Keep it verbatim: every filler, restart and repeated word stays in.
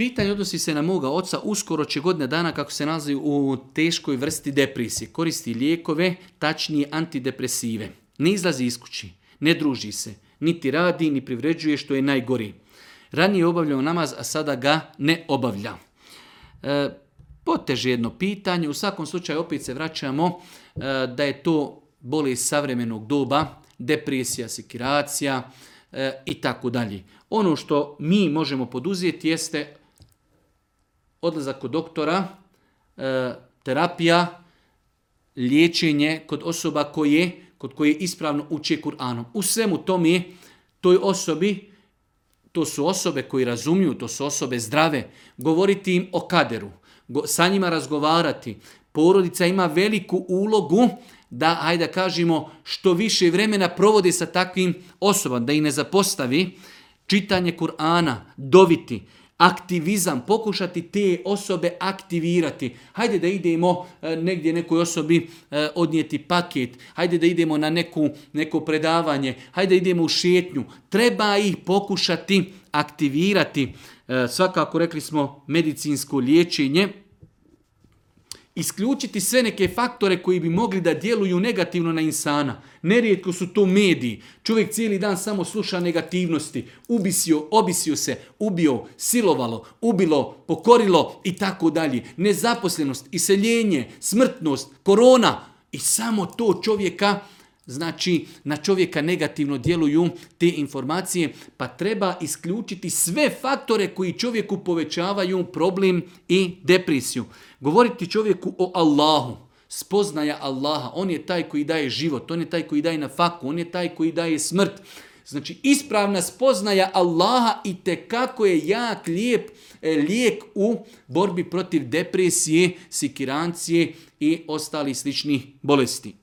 Pitanje odnosi se na moga oca, uskoro će godina dana kako se nalazi u teškoj vrsti depresije. Koristi lijekove, tačnije antidepresive. Ne izlazi iz kući, ne druži se, niti radi, ni privređuje, što je najgori. Ranije je obavljao namaz, a sada ga ne obavlja. E, poteže jedno pitanje, u svakom slučaju opet se vraćamo e, da je to bolest savremenog doba, depresija, sekiracija e, i tako dalje. Ono što mi možemo poduzeti jeste odlazak kod doktora, e, terapija, liječenje kod osoba koje, kod koje ispravno uče Kur'anom. U svemu tome, toj osobi, to su osobe koji razumiju, to su osobe zdrave, govoriti im o kaderu, go, sa njima razgovarati. Porodica ima veliku ulogu da, hajde da kažemo, što više vremena provode sa takvim osobama, da ih ne zapostavi. Čitanje Kur'ana, doviti, aktivizam, pokušati te osobe aktivirati. Hajde da idemo e, negdje nekoj osobi e, odnijeti paket, hajde da idemo na neku, neko predavanje, hajde da idemo u šetnju. Treba ih pokušati aktivirati. E, svakako rekli smo medicinsko liječenje. Isključiti sve neke faktore koji bi mogli da djeluju negativno na insana. Nerijetko su to mediji. Čovjek cijeli dan samo sluša negativnosti. Ubisio, obisio se, ubio, silovalo, ubilo, pokorilo i tako dalje. Nezaposlenost, iseljenje, smrtnost, korona. I samo to čovjeka, znači na čovjeka negativno djeluju te informacije, pa treba isključiti sve faktore koji čovjeku povećavaju problem i depresiju. Govoriti čovjeku o Allahu, spoznaja Allaha, on je taj koji daje život, on je taj koji daje nafaku, on je taj koji daje smrt. Znači ispravna spoznaja Allaha itekako je jak, lijep lijek u borbi protiv depresije, sikirancije i ostalih sličnih bolesti.